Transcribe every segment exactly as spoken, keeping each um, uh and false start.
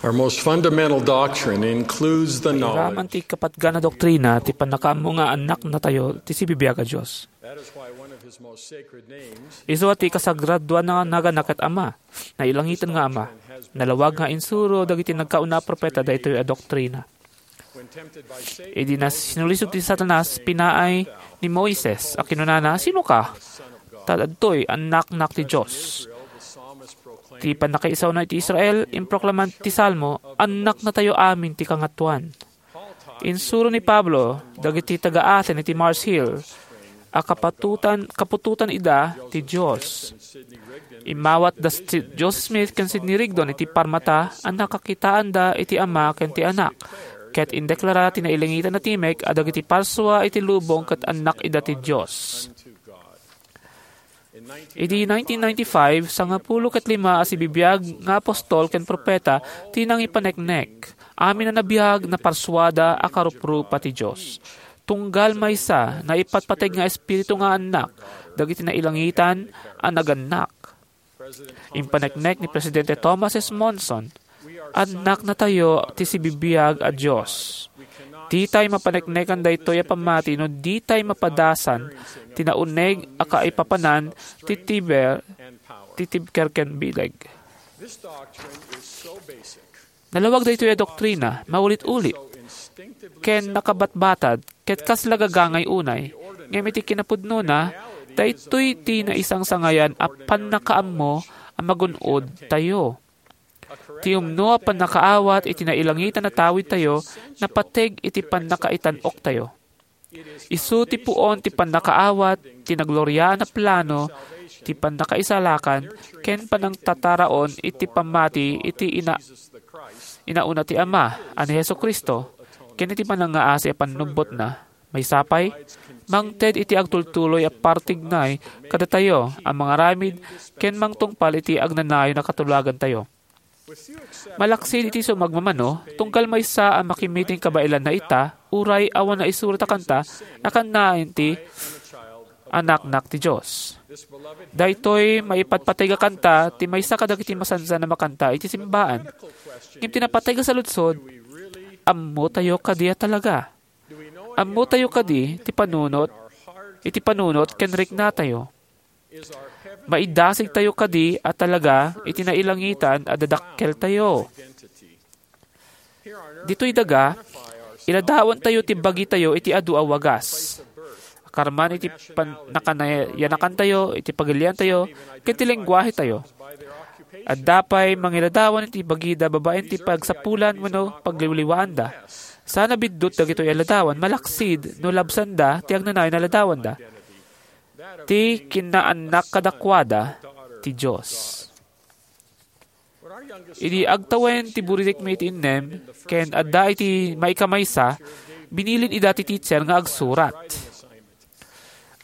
Our most fundamental doctrine includes the Iraman knowledge. Ti kapatgan a doktrina ti pannakaammo nga annaknatayo ti sibibiag a Dios. That is why one of his most sacred names. Isu a ti kasagradoan a naganna ket Ama, nailangitan nga Ama. Nalawag nga insuro dagiti nagkauna a propeta daytoy a doktrina. When tempted by Satan, idi nas-, sinulisog ti Satanas, pinaay ni Moises a kinunana, "Sinoka?" "Ta adtoy, annaknak ti Dios." Ti pannakaisaona iti Israel, improklaman ti Salmo, "Annaknatayo amin ti Kangatoan." Insuro ni Pablo dagiti taga-Aten iti Mars Hill a kapatutan, kaputotan ida ti Dios. Immawat da Sid-, Joseph Smith ken Sidney Rigdon iti parmata a nakakitaanda iti Ama ken ti Anak, ket indeklara ti nailangitan a timek a dagiti parsua iti lubong ket annak ida ti Dios. Idi nineteen ninety-five, sangapulo ket lima a sibibiag nga apostol ken propeta ti nangipaneknek. Amin a nabiag, naparsuada a karuprupa ti Dios. Tunggal maysa, naipatpateg nga espiritu nga annak dagiti nailangitan a nagannak. Impaneknek ni Presidente Thomas S. Monson, "Annaknatayo ti sibibiag a Dios." Ditay mapaneknekan daytoy a pammati no ditay mapadasan ti nauneg a kaipapanan ti tiber, ti tibker ken bileg. Nalawag daytoy a doktrina, maulit-ulit, ken nakabatbatad, ket kasla gagangay unay. Ngem iti kinapudnona, daytoy ti naisangsangayan a pannakaammo a magun-od tayo. Ti umno a pannakaawat iti nailangitan a tawid tayo, napateg iti pannakaitan-oktayo. Isu ti puon ti pannakaawat, ti nagloriaan a plano, ti pannakaisalakan, ken panangtataraon iti pammati iti ina-, inauna ti Ama a ni Jesu-Cristo, ken iti panangngaasi a pannubbotna. Maysa pay, mangted iti agtultuloy a partignay kadatayo a mangaramid ken mangtungpal iti agnanayon a katulagantayo. Malaksid iti sumagmamano, tunggal maysa a makimiting kabaelanna ita, uray awan naisurat a kanta a kannaen ti Annaknak ti Dios. Daytoy maipatpateg a kanta ti maysa kadagiti masansan a makanta iti simbaan. Ngem ti napateg a saludsod, ammotayo kadi a talaga? Ammotayo kadi ti panunot, iti panunot ken riknatayo? Maidasigtayo kadi a talaga iti nailangitan a dadakkeltayo? Ditoy daga, iladawantayo ti bagitayo iti adu a wagas. Karman iti pan-, nakanayanakantayo, iti pagiliantayo, ken ti lengguahetayo. Adda pay mangiladawan iti bagida babaen ti pagsapulan wenno pagliwliwaanda. Saan a biddut dagitoy a ladawan malaksid no labsanda ti agnanayon a ladawanda. Ti kinnaannak kadakuada ti Dios. Idi agtawen ti buridikmi iti innem ken adda iti maikamaysa, binilin ida ti teacher nga agsurat.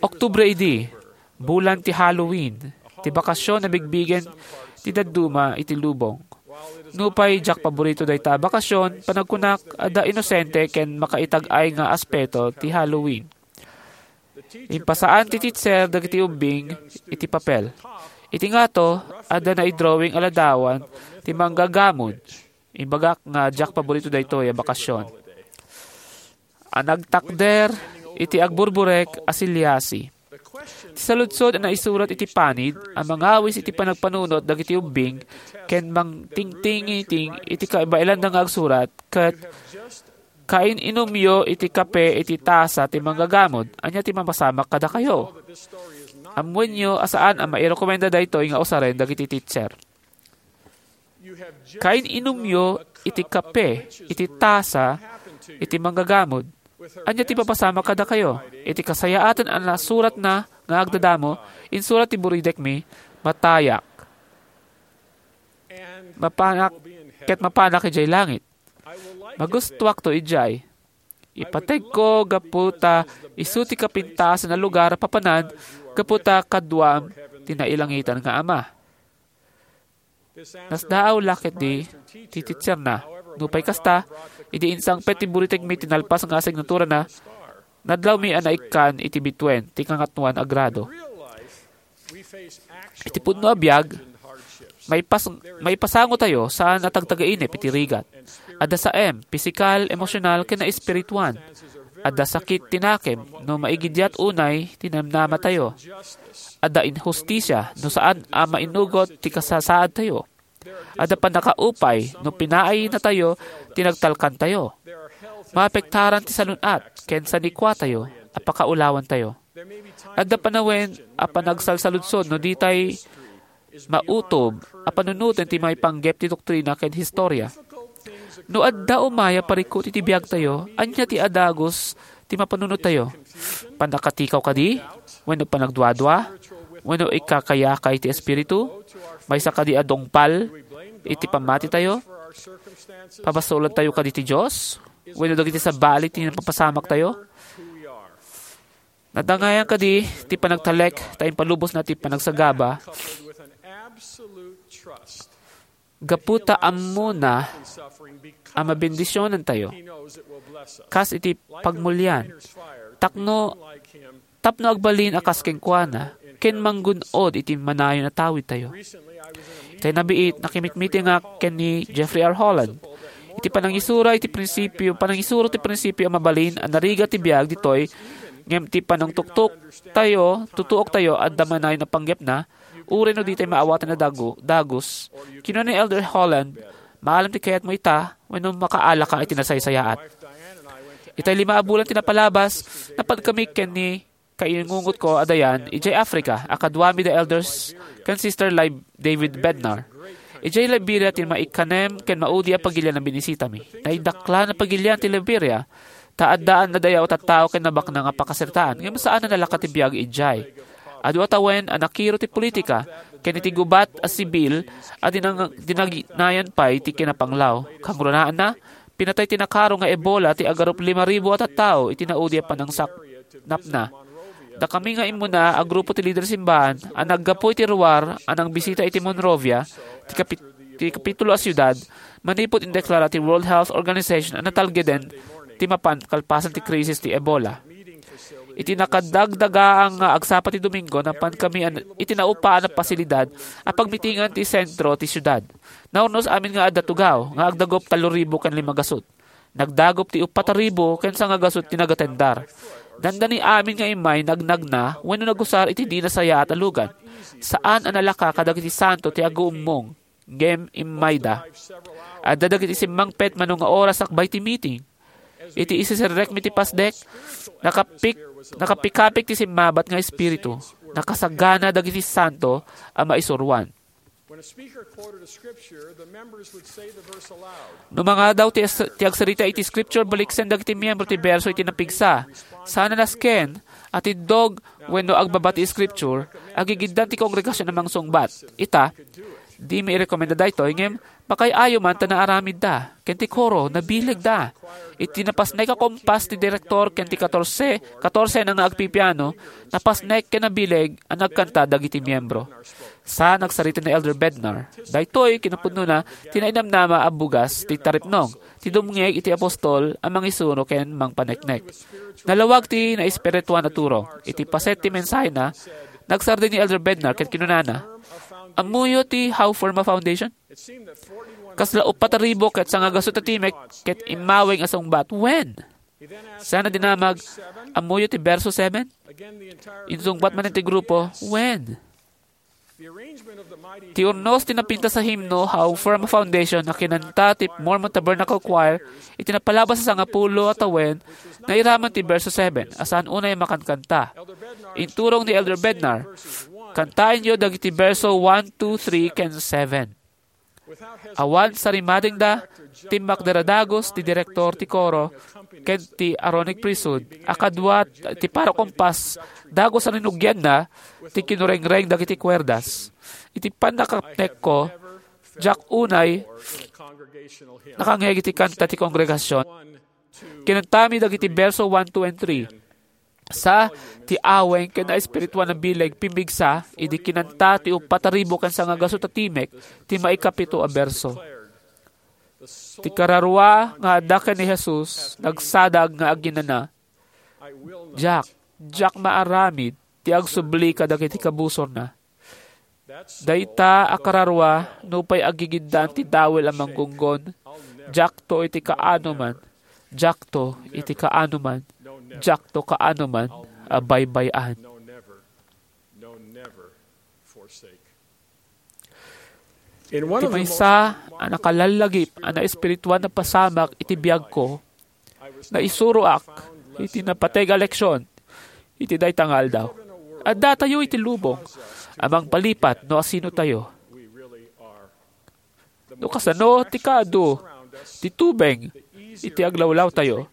Oktubre idi, bulan ti Halloween, ti bakasyon a bigbigen ti dadduma iti lubong. Nupay diak paborito dayta a bakasyon, panagkunak, adda inosente ken makaitag-ay nga aspeto ti Halloween. Impasaan ti teacher dagiti ubbing iti papel. Iti ngato, adda naidrawing a ladawan ti manggagamod. Imbagak nga diak paborito daytoy a bakasyon. A nagtakder iti agburburek a siliasi. Ti saludsod a naisurat iti panid a mangawis iti panagpanunot dagiti ubbing ken mangtingtingiting iti kabaelanda nga agsurat ket, "Kain-inumyo iti kape iti tasa ti manggagamod. Ania ti mapasamak kadakayo?" Ammoenyo a saan a mairekomenda daytoy nga usaren dagiti teacher. "Kain-inumyo iti kape iti tasa iti manggagamod. Ania ti mapasamak kadakayo?" Iti kasayaatan a nasuratna nga agdadamo, insurat ti buridekmi, "Matayak. Mapanak, ket mapanak idiay langit. Magustuakto idiay. Ipategko gapu ta isu ti kapintasan a lugar a papanan gapu ta kaduam ti nailangitan nga Ama." Nasdaaw la ketdi ti teacherna. Nupay kasta, idi insangpet ti buridekmi ti nalpas nga asignaturana, nadlawmi a naikkan iti bituen ti kangatoan a grado. Iti pudno a biag, Maipas-, maipasango tayo saan a tagtagainep iti rigat. Adda saem, pisikal, emosyonal, ken naespirituan. Adda sakit ti nakem no maigidiat unay ti namnama tayo. Adda inhustisia no saan a mainugot ti kasasaad tayo. Adda pannakaupay no pinaay natayo ti nagtalkan tayo. Maapektaran ti salun-at ken sanikua tayo a pakaulawan tayo. Adda panawen a panagsalsaludsod no ditay mautob a panunoten ti maipanggep ti doktrina ken historia. No adda umay a parikut iti biagtayo, ania ti adagus ti mapanunot tayo? Pannakatikaw kadi? Wenno panagduadua? Wenno ikakayakay ti Espiritu? Maysa kadi a dungpal iti pammati tayo? Pabasolan tayo kadi ti Dios? Wenno dagiti sabali ti napapasamak tayo? Nadangayan kadi ti panagtalek ta impalubosna ti panagsagaba gapu ta ammona a mabendisionantayo, kas iti pagmulian, takno, tapno agbalin a kas kenkuana, ken manggun-od iti manayon a tawidtayo. Itay nabiit, nakimitmitingak ken ni Jeffrey R. Holland. Iti panangisura iti prinsipio, panangisuro ti prinsipio a mabalin a narigat ti biag ditoy, ngem ti panangtuktok tayo, tutuok tayo, adda manayon a panggepna, uray no ditay maawatan a dagu-, dagus. Kinuna ni Elder Holland, "Maalam ti kayatmo ita, wenno makaalaka iti nasaysayaat." Itay lima a bulan ti napalabas, napankami ken ni kainungotko a Diane idiay Africa, a kaduami da Elders ken Sister Lib-, David Bednar. Idiay Liberia ti maikkanem ken maudi a pagilian a binisitami. Naidaklan a pagilian ti Liberia, ta addaan a dayaw a tattao ken nabaknang a pakasaritaan, ngem saan a nalaka ti biag idiay. Adu a tawen a nakiro ti politika, ken iti gubat a sibil a dinang-, dinaginayan pay ti kinapanglaw. Kangrunaan na, pinatay ti nakaro nga Ebola ti agarup lima ribu a tattao iti naudi a panangsaknapna. Dakami nga immuna a grupo ti lider simbaan a naggapu iti ruar a nangbisita iti Monrovia, ti kapi-, ti kapitulo a siudad, manipud indeklara ti World Health Organization a natalgeden ti mapan kalpasan ti krisis ti Ebola. Iti nakadagdagaang nga agsapa ti Domingo, napankami an-, iti naupaan a pasilidad a pagmitingan ti sentro ti siudad. Naurnos amin nga adda tugaw nga agdagup tallo ribu ken lima gasut. Nagdagup ti uppat a ribu ken sanga gasut ti nagatendar. Dandani amin nga immay nagnagna wenno nagusar iti di nasayaat a lugan. Saan a nalaka kadagiti santo ti aguummong, ngem immayda. Adda dagiti simmangpet mano nga oras sakbay ti meeting. Iti isisirrekmi ti pasdek, nakapik-, nakapikapik ti simmabat nga espiritu. Nakasagana dagiti santo a maisuroan. When a speaker quoted a scripture, the members would say the verse aloud. No mangadaw ti as-, ti agsarita iti scripture, baliksen dagiti miyembro ti berso iti napigsa. Saan a nasken, a tiddog wenno agbaba ti scripture, agigiddan ti kongregasion a mangsungbat. Ita, dimi irekomenda daytoy, ngem makay-ayo man ta naaramidda. Ken ti koro, nabilegda. Iti napasnek a kompas ti direktor ken ti katorse, katorse na nga agpipiano, napasnek ken nabileg a nagkanta dagiti miyembro. Sa nagsarita ni Elder Bednar, daytoy kinapudnona ti nainamnama a bugas ti taripnong, ti dumngeg iti apostol a mangisuro ken mangpaneknek. Nalawag ti naespirituan a turong. Iti paset ti mensahena, nagsardeng ni Elder Bednar ket kinunana, "Ammoyo ti How Firm a Foundation?" Kasla uppat a ribu ket sangagasut a timek ket immaweng a sungbat, "Wen?" Sana dinamag, "Ammoyo ti berso seven?" Insungbat manen ti grupo, "Wen?" Ti urnos ti napintas a himno, How Firm a Foundation, a kinanta ti Mormon Tabernacle Choir iti napalabas a sangapulo a tawen, nairaman ti berso seven, a saan unay a makankanta. Inturong ni Elder Bednar, "Kantaenyo dagiti berso one, two, three, ken seven." Awan sarimadengda, timmakder a dagus ti direktor ti koro ken ti Aaronic Priesthood a kadua ti paro kompas, dagus a rinugianna ti kinurengreng dagiti kuerdas. Iti pannakapnekko, diak unay nakangngeg iti kanta ti kongregasion. Kinantami dagiti berso one, two, and three. Sa ti aweng ken naespirituan a bileg pimmigsa idi kinanta ti uppat a ribu ken sangagasut a timek ti maikapito a berso. Ti kararua nga adda ken ni Jesus nagsadag nga aginana, "Diak, diak maaramid ti agsubli kadagiti kabusorna." Dayta a kararua, nupay agigiddaan ti dawel a manggunggon, diakto iti kaanoman, diakto iti kaanoman, diakto kaanoman a baybay-an. Ti maysa a nakalallagip a naespirituan a pasamak iti biagko, naisuroak iti napateg a leksion iti dayta nga aldaw. Addatayo iti lubong a mangpalipat no asino tayo. No kasano ti kaadu ti tubeng iti aglawlawtayo,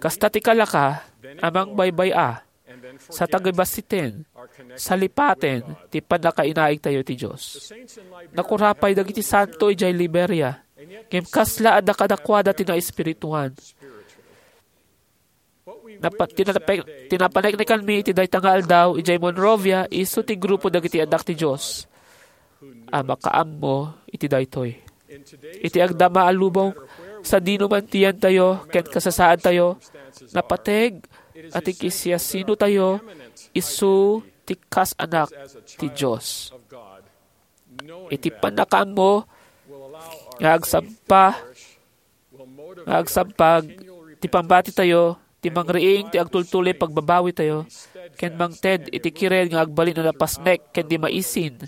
kasta ti kalaka a mangbaybay-a sa tagibassiten, salipaten ti pannakainaigtayo ti Dios. Nakurapay dagiti santo idiay Liberia, ngem kasla adda kadakuada ti naespirituan. Napa-, ti nape-, ti napaneknekanmi iti dayta nga aldaw idiay Monrovia, isu ti grupo dagiti anak ti Dios a makaammo iti daytoy. Iti agdama a lubong, sadino man ti yantayo ken kasasaadtayo, napateg a ti kisiasinotayo isu ti kas-anak ti Dios. Iti pannakaammo nga agsampa, nga agsampag ti pammatitayo, ti mangriing ti agtultuloy pagbabawitayo, ken mangted iti kired nga agbalin a napasnek ken di maisin,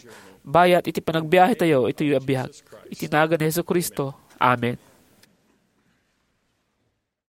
bayat iti panagbiahetayo iti biag. Iti nagan ni Jesu-Cristo. Amen.